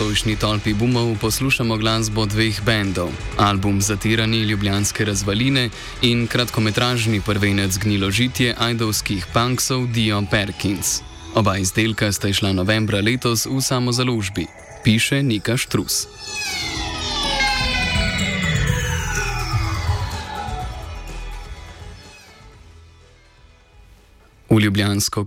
nocojšnji tolpi bumov poslušamo glasbo dveh bendov: album Zatirani ljubljanske razvaline in kratkometražni prvenec Gniložitje ajdovskih punksov Dio Perkins. Oba izdelka sta izšla novembra letos v samozaložbi, piše Nika Štrus. V ljubljansko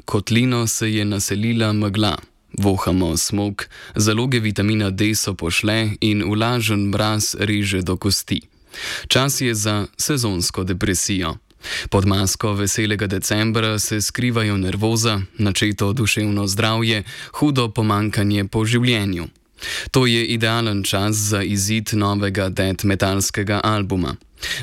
kotlino se je naselila megla. Vohamo smog, zaloge vitamina D so pošle in vlažen mraz reže do kosti. Čas je za sezonsko depresijo. Pod masko veselega decembra se skrivajo nervoza, načeto duševno zdravje, hudo pomankanje po življenju. To je idealen čas za izid novega death metalskega albuma.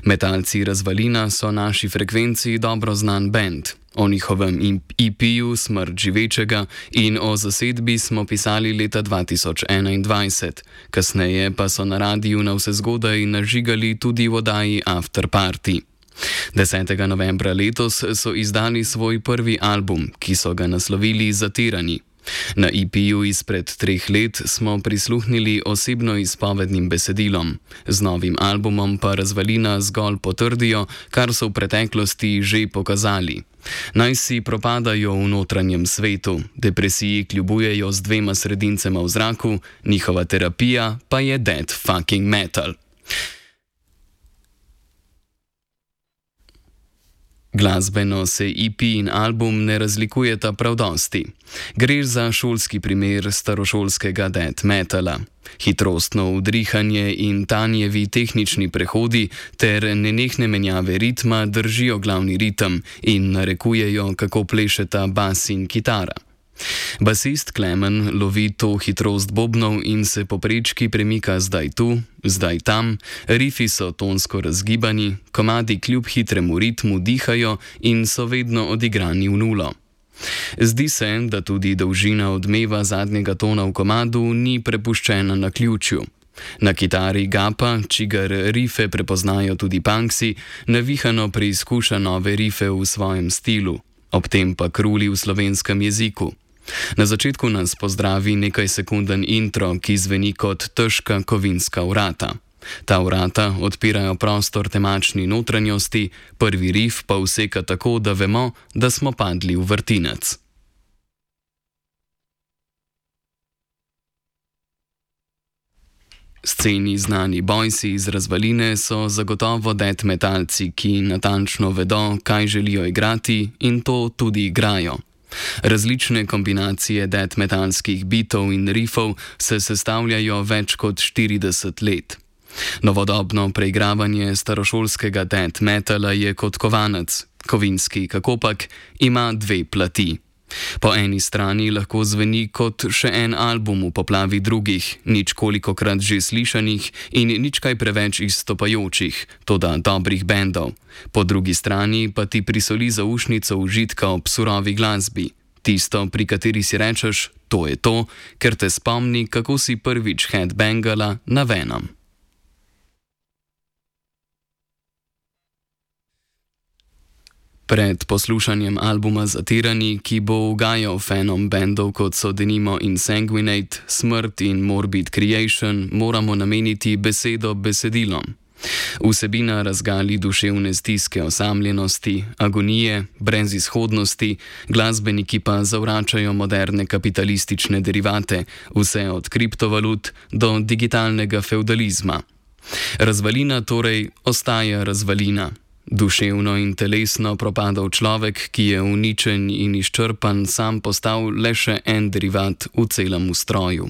Metalci Razvalina so naši frekvenciji dobro znan band. O njihovem EP-ju Smrt živečega in o zasedbi smo pisali leta 2021. Kasneje pa so na radiju navsezgodaj nažigali tudi v oddaji After Party. 10. novembra letos so izdali svoj prvi album, ki so ga naslovili Zatirani. Na EP-ju izpred 3 let smo prisluhnili osebno izpovednim besedilom. Z novim albumom pa Razvalina zgolj potrdijo, kar so v preteklosti že pokazali. Naj si propadajo v notranjem svetu, depresiji kljubujejo z 2 sredincema v zraku, njihova terapija pa je death fucking metal. Glasbeno se EP in album ne razlikujeta prav dosti. Gre za šolski primer starošolskega death metala. Hitrostno udrihanje in tanjevi tehnični prehodi ter nenehne menjave ritma držijo glavni ritem in narekujejo, kako plešeta bas in kitara. Basist Klemen lovi to hitrost bobnov in se po prečki premika zdaj tu, zdaj tam, rifi so tonsko razgibani, komadi kljub hitremu ritmu dihajo in so vedno odigrani v nulo. Zdi se, da tudi dolžina odmeva zadnjega tona v komadu ni prepuščena naključju. Na kitari Gapa, čigar rife prepoznajo tudi punksi, navihano preizkuša nove rife v svojem stilu, ob tem pa kruli v slovenskem jeziku. Na začetku nas pozdravi nekaj sekunden intro, ki zveni kot težka kovinska vrata. Ta vrata odpirajo prostor temačni notranjosti, prvi rif pa useka tako, da vemo, da smo padli v vrtinec. Sceni znani bojsi iz Razvaline so zagotovo death metalci, ki natančno vedo, kaj želijo igrati in to tudi igrajo. Različne kombinacije death metalskih bitov in riffov se sestavljajo več kot 40 let. Novodobno preigravanje starošolskega death metala je kot kovanec. Kovinski kakopak ima 2 plati. Po eni strani lahko zveni kot še en album v poplavi drugih, ničkolikokrat že slišanih in nič kaj preveč izstopajočih, toda dobrih bendov. Po drugi strani pa ti prisoli zaušnico užitka ob surovi glasbi. Tisto, pri kateri si rečeš, to je to, ker te spomni, kako si prvič headbangala na Venom. Pred poslušanjem albuma Zatirani, ki bo ugajal fanom bendov kot so denimo Insanguinate, Smrt in Morbid Creation, moramo nameniti besedo besedilom. Vsebina razgali duševne stiske osamljenosti, agonije, brezizhodnosti, glasbeniki pa zavračajo moderne kapitalistične derivate, vse od kriptovalut do digitalnega fevdalizma. Razvalina torej ostaja razvalina. Duševno in telesno propadal človek, ki je uničen in izčrpan, sam postal le še en derivat v celem ustroju.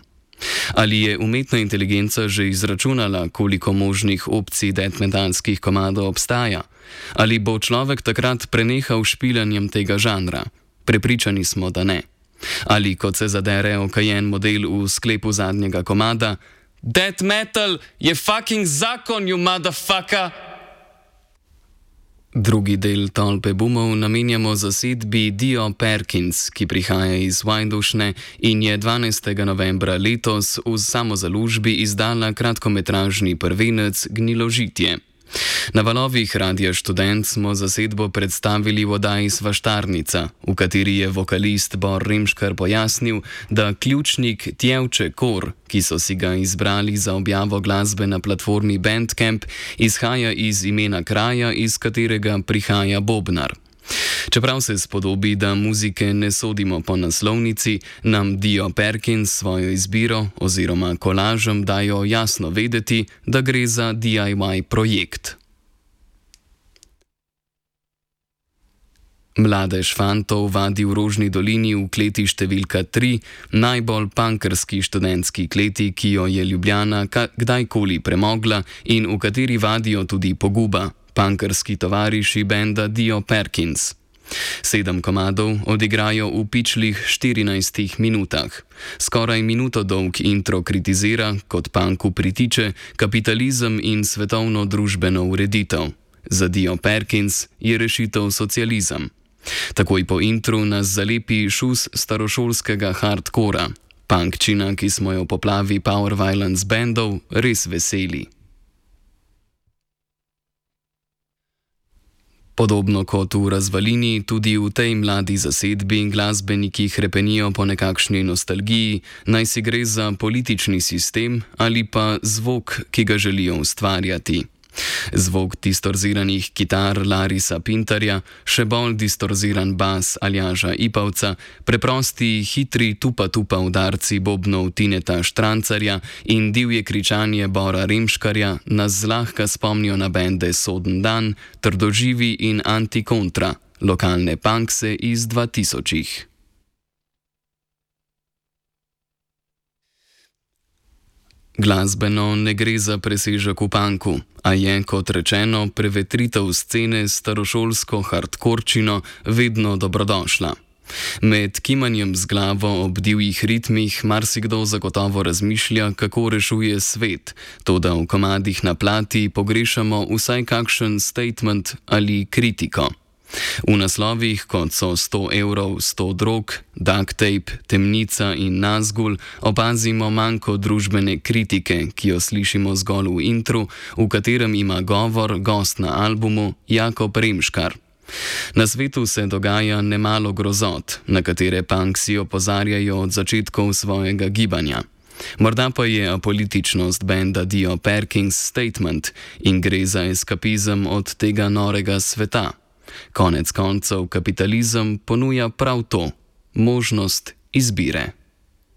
Ali je umetna inteligenca že izračunala, koliko možnih opcij death metalskih komadov obstaja? Ali bo človek takrat prenehal špilanjem tega žanra? Prepričani smo, da ne. Ali kot se zadere okajen model v sklepu zadnjega komada: Death metal je fucking zakon, you motherfucker! Drugi del tolpe bumov namenjamo zasedbi Dio Perkins, ki prihaja iz Vajdušne in je 12. novembra letos v samozaložbi izdala kratkometražni prvenec Gniložitje. Na valovih Radia Študent smo zasedbo predstavili v oddaji Svaštarnica, v kateri je vokalist Bor Rimškar pojasnil, da ključnik Tjevče Kor, ki so si ga izbrali za objavo glasbe na platformi Bandcamp, izhaja iz imena kraja, iz katerega prihaja bobnar. Čeprav se spodobi, da muzike ne sodimo po naslovnici, nam Dio Perkins svojo izbiro oziroma kolažem dajo jasno vedeti, da gre za DIY projekt. Mladež fantov vadi v Rožni dolini v kleti številka 3, najbolj punkerski študentski kleti, ki jo je Ljubljana kdajkoli premogla in v kateri vadijo tudi Poguba, punkerski tovariši benda Dio Perkins. 7 komadov odigrajo v pičlih 14 minutah. Skoraj minuto dolg intro kritizira, kot punku pritiče, kapitalizem in svetovno družbeno ureditev. Za Dio Perkins je rešitev socializem. Takoj po intru nas zalepi šus starošolskega hardkora. Punkčina, ki smo jo v poplavi Power Violence bandov res veseli. Podobno kot v Razvalini, tudi v tej mladi zasedbi glasbeniki hrepenijo po nekakšni nostalgiji, naj si gre za politični sistem ali pa zvok, ki ga želijo ustvarjati. Zvok distorziranih kitar Larisa Pintarja, še bolj distorziran bas Aljaža Ipavca, preprosti hitri tupa-tupa udarci bobnov Tineta Štrancarja in divje kričanje Bora Rimškarja nas zlahka spomnijo na bende Soden dan, Trdoživi in Antikontra, lokalne punkse iz 2000-ih. Glasbeno ne gre za presežek v punku, a je, kot rečeno, prevetritev scene s starošolsko hardkorčino vedno dobrodošla. Med kimanjem z glavo ob divjih ritmih marsikdo zagotovo razmišlja, kako rešuje svet, toda v komadih na plati pogrešamo vsaj kakšen statement ali kritiko. V naslovih, kot so 100 evrov, 100 drog, duct tape, temnica in Nazgul, opazimo manjko družbene kritike, ki jo slišimo zgolj v intru, v katerem ima govor gost na albumu Jakob Rimškar. Na svetu se dogaja nemalo grozot, na katere punksi opozarjajo od začetkov svojega gibanja. Morda pa je apolitičnost benda Dio Perkins statement in gre za eskapizem od tega norega sveta. Konec koncev kapitalizem ponuja prav to, možnost izbire.